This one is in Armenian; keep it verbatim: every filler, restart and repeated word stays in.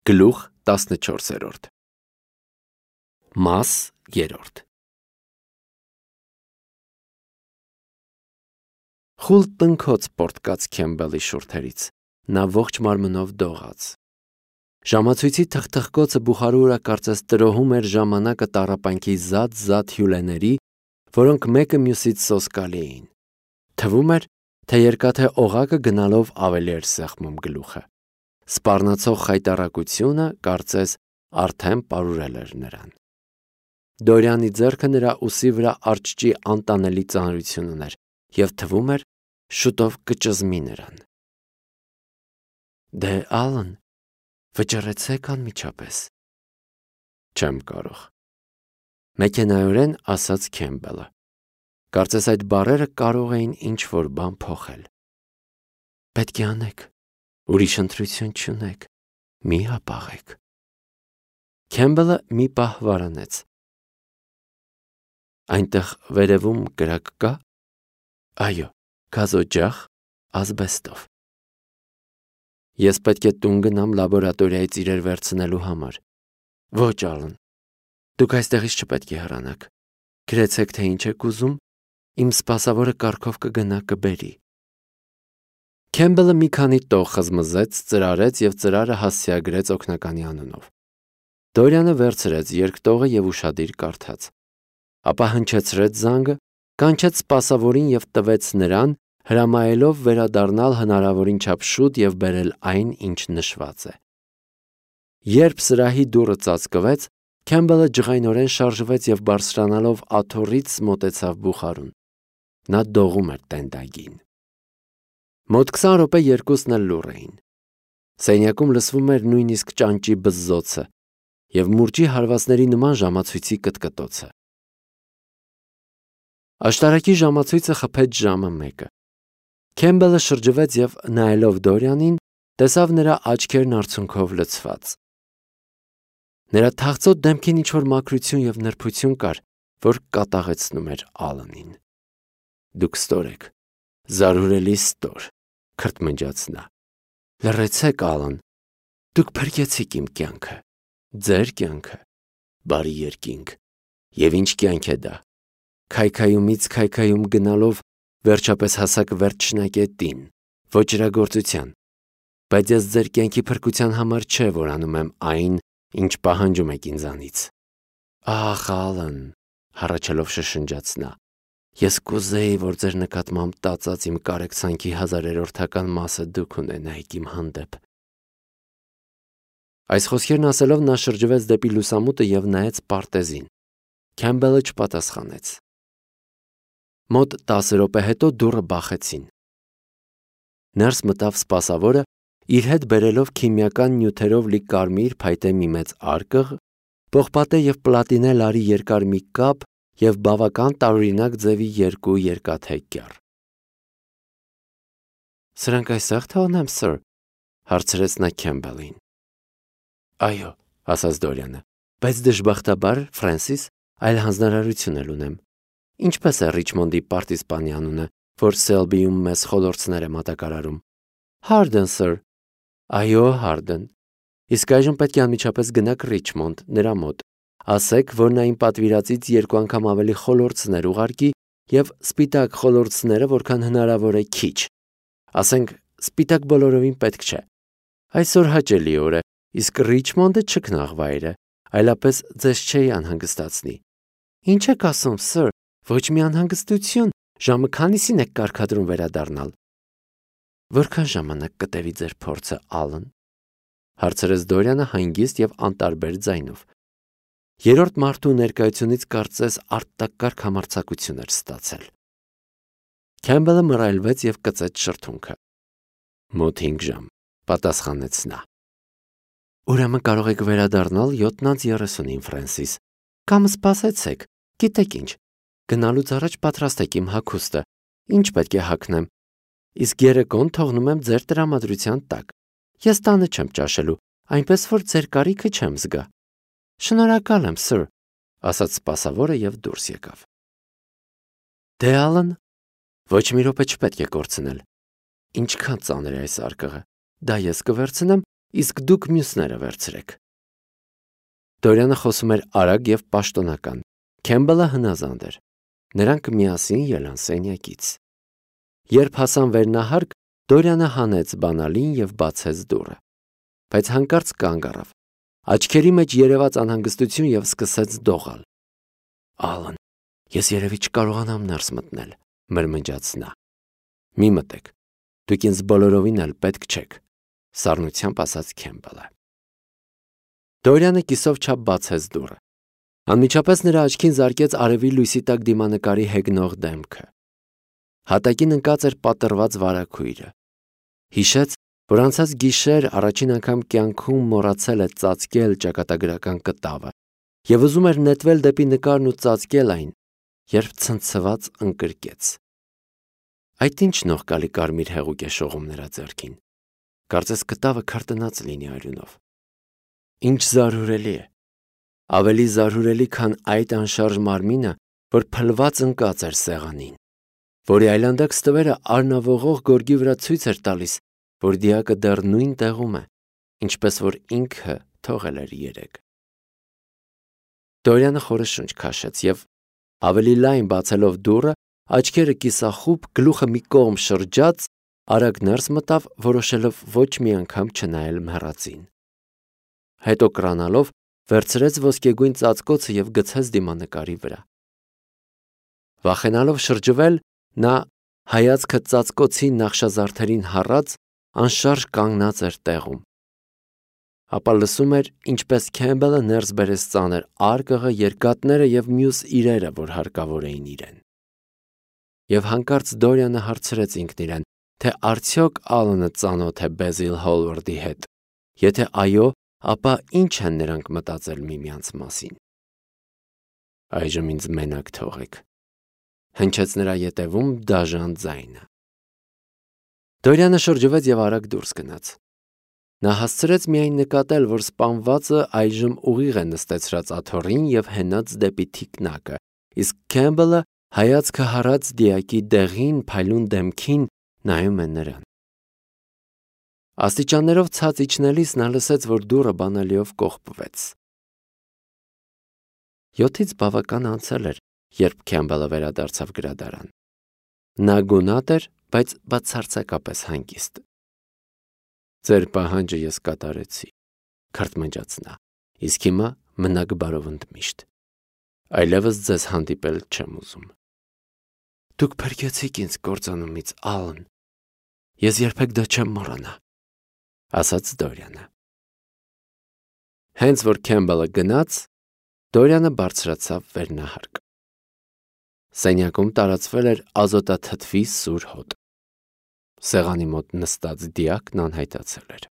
Գլուխ տասնչորսերորդ Մաս երրորդ Խուլ տնքոց պորտկաց Քեմբելի շուրթերից, նա ողջ մարմնով դողաց։ Ժամացույցի թխթխկոցը բուխարու վրա կարծես տրոհում էր ժամանակը տառապանքի զատ-զատ հյուլեների, որոնք մեկը մյուսից սոսկալի էին։ Թվում էր, թե երկաթե օղակը գնալով ավելի էր սեղմում գլուխը։ Սպառնացող խայտառակությունը, կարծես, արդեն պարուրել էր նրան։ Դորյանի ձեռքը նրա ուսի վրա արջճի անտանելի ծանրություն ուներ, և թվում էր, շուտով կճզմի նրան։ Դե Ալըն, վճռեցեք անմիջապես։ Չեմ կարող, մեքենայորեն ասաց Քեմբելը։ Կարծես այդ բառերը կարող էին ինչ-որ բան փոխել։ Պետք է անեք, ուրիշ ընտրություն չունեք, մի հապաղեք։ Քեմբելը մի պահ վարանեց։ Այնտեղ վերևում կրակ կա։ Այո, գազօջախ, ազբեստով։ Ես պետք է տուն գնամ լաբորատորիայից իրեր վերցնելու համար։ Ոչ, Ալըն, դուք այստեղից չպետք է հեռանաք։ Գրեցեք, թե ինչ եք ուզում, իմ սպասավորը կառքով կգնա կբերի։ Քեմբելը մի քանի տող խզմզեց, ծրարեց և ծրարը հասցեագրեց օգնականի անունով։ Դորյանը վերցրեց երկտողը և ուշադիր կարդաց։ Ապա հնչեցրեց զանգը, կանչեց սպասավորին և տվեց նրան, հրամայելով վերադառնալ հնարավորին չափ շուտ և բերել այն, ինչ նշված է։ Երբ սրահի դուռը ծածկվեց, Քեմբելը ջղայնորեն շարժվեց և բարձրանալով աթոռից մոտեցավ բուխարուն։ Նա դողում էր տենդագին։ Մոտ քսան րոպե երկուսն էլ լուռ էին։ Սենյակում լսվում էր նույնիսկ ճանճի բզզոցը և մուրճի հարվածների նման ժամացույցի կտկտոցը։ Աշտարակի ժամացույցը խփեց ժամը մեկը։ Քեմբելը շրջվեց և, նայելով Դորյանին, տեսավ նրա աչքերն արցունքով լցված։ Նրա թախծոտ դեմքին ինչ-որ մաքրություն և նրբություն կար, որ կատաղեցնում էր Ալընին։ Դուք ստոր եք, զարհուրելի ստոր, քրթմնջաց նա։ Լռեցեք, Ալըն, դուք փրկեցիք իմ կյանքը, ձեր կյանքը, բարի երկինք, և ինչ կյանք է դա։ Քայքայումից քայքայում գնալով վերջապես հասաք վերջնակետին, ոճրագործության, բայց ես ձեր կյանքի փրկության համար չէ, որ անում եմ այն, ինչ պահանջում եք ինձանից։ Ախ, Ալըն, հառաչելով շշնջաց նա, ես կուզեի, որ ձեր նկատմամբ տածած իմ կարեկցանքի հազարերորդական մասը դուք ունենայիք իմ հանդեպ։ Այս խոսքերն ասելով նա շրջվեց դեպի լուսամուտը և նայեց պարտեզին։ Քեմբելը չպատասխանեց։ Մոտ տասը րոպե հետո դուռը բախեցին։ Ներս մտավ սպասավորը, իր հետ բերելով քիմիական նյութերով լի կարմիր փայտե մի մեծ արկղ, պողպատե և պլատինե լարի երկար մի կապ և բավական տարօրինակ ձևի երկու երկաթե կեռ։ Սրանք այստեղ թողնեմ, սըր, հարցրեց նա Քեմբելին։ Այո, ասաց Դորյանը, բայց դժբախտաբար, Ֆրենսիս, այլ հանձնարարություն էլ ունեմ։ Ինչպես է Ռիչմոնդի պարտիզպանի անունը, որ Սելբիում մեզ խոլորձներ է մատակարարում։ Հարդեն, սըր։ Այո, Հարդեն։ Իսկ այժմ պետք է անմիջապես գնաք Ռիչմոնդ, նրա մոտ։ Ասեք, որ նա իմ պատվիրածից երկու անգամ ավելի խոլորձներ ուղարկի և սպիտակ խոլորձները, որքան հնարավոր է քիչ։ Ասենք, սպիտակ բոլորովին պետք չէ։ Այսօր հաճելի օր է, իսկ Ռիչմոնդը չքնաղ վայր է, այլապես ձեզ չէի անհանգստացնի։ Ինչ եք ասում, սըր, ոչ մի անհանգստություն, ժամը քանիսին եք կարգադրում վերադառնալ։ Որքան ժամանակ կտևի ձեր փորձը, Ալըն, հարցրեց Դորյանը հանգիստ և անտարբեր ձայնով։ Երրորդ մարդու ներկայությունից կարծես արտակարգ համարձակություն էր ստացել։ Քեմբելը մռայլվեց և կծեց շրթունքը։ Մոտ հինգ ժամ, պատասխանեց նա։ Ուրեմն կարող եք վերադառնալ յոթն անց երեսունին, Ֆրենսիս, կամ սպասեցեք, գիտեք ինչ, գնալուց առաջ պատրաստեք իմ հագուստը, ինչ պետք է հագնեմ, իսկ երեկոն թողնում եմ ձեր տրամադրության տակ։ Ես տանը չեմ ճաշելու, այնպես որ ձեր կարիքը չեմ զգա։ Շնորհակալ եմ, սըր, ասաց սպասավորը և դուրս եկավ։ Դե Ալըն, ոչ մի րոպե չպետք է կորցնել։ Ինչքան ծանր է այս արկղը, դա ես կվերցնեմ իսկ դուք մյուսները վերցրեք։ Դորյանը խոսում էր արագ և պաշտոնական, Քեմբելը հնազանդ էր։ Նրանք միասին ելան սենյակից։ Երբ հասան վերնահարկ, Դորյանը հանեց բանալին և բացեց դուռը, բայց հանկարծ կանգ առավ, աչքերի մեջ երևաց անհանգստություն և սկսեց դողալ։ «Ալն, ես երևի չկարողանամ ներս մտնել», մրմնջաց նա։ «Մի մտեք, դուք ինձ բոլորովին էլ պետք չեք», սառնությամբ ասաց Քեմբելը։ Դորյանը կիսով չափ բացեց դուռը։ Անմիջապես նրա աչքին զարկեց արևի լույսի տակ դիմանկարի հեգնող դեմքը։ Հատակին ընկած էր պատռված վարագույրը։ Հիշեց, որ անցած գիշեր առաջին անգամ կյանքում մոռացել է ծածկել ճակատագրական կտավը և ուզում էր նետվել դեպի նկարն ու ծածկել այն, երբ ցնցված ընկրկեց։ Այդ ինչ նողկալի կարմիր հեղուկ է շողում նրա ձեռքին։ Կարծես կտավը քրտնած լինի արյունով։ Ինչ զարհուրելի է։ Ավելի զարհուրելի, քան այդ անշարժ մարմինը, որ փլված ընկած էր սեղանին, որի այլանդակ ստվերը արնավողող գորգի վրա ցույց էր տալիս, որ դիակը դեռ նույն տեղում է, ինչպես որ ինքը թողել էր երեկ։ Դորյանը խորը շունչ քաշեց և, ավելի լայն բացելով դուռը, աչքերը կիսախուբ, գլուխը մի կողմ շրջած, արագ ներս մտավ, որոշելով ոչ մի անգամ չնայել մեռածին։ Հետո կրանալով վերցրեց ոսկեգույն ծածկոցը և գցեց դիմանկարի վրա։ Վախենալով շրջվել, նա հայացքը ծածկոցի նախշազարդերին հառած, անշարժ կանգնած էր տեղում։ Ապա լսում էր, ինչպես Քեմբելը ներս բերեց ծանր արկղը, երկաթները և մյուս իրերը, որ հարկավոր էին իրեն։ Եվ հանկարծ Դորյանը հարցրեց ինքն իրեն, թե արդյոք Ալանը ծանոթ է Բեզիլ Հոլվարդի հետ։ Եթե այո, ապա ինչ են նրանք մտածել միմյանց մասին։ «Այժմ ինձ մենակ թողեք», հնչեց նրա ետևում դաժան ձայնը։ Դորյանը շրջվեց և արագ դուրս գնաց։ Նա հասցրեց միայն նկատել, որ սպանվածը այժմ ուղիղ է նստեցրած աթոռին և հենած դեպի թիկնակը, իսկ Քեմբելը հայացքը հառած դիակի դեղին, փայլուն դեմքին նայում է նրան։ Աստիճաններով ցած իջնելիս նա լսեց, որ դուռը բանալիով կողպվեց։ Յոթից բավական անցել էր, երբ Քեմբելը վերադարձավ գրադարան։ Նա գունատ էր, բայց բացարձակապես հանգիստ։ «Ձեր պահանջը ես կատարեցի», քրթմնջաց նա, «իսկ հիմա մնաք բարով ընդմիշտ։ Այլևս ձեզ հանդիպել չեմ ուզում»։ «Դուք փրկեցիք ինձ կործանումից, Ալն։ Ես երբեք դա չեմ մոռանա», ասաց Դորյանը։ Հենց որ Քեմբելը գնաց, Դորյանը բարձրացավ վերնահարկ։ Սենյակում տարածվել էր ազոտաթթվի սուր հոտ։ Սեղանի մոտ նստած դիակն անհայտացել էր։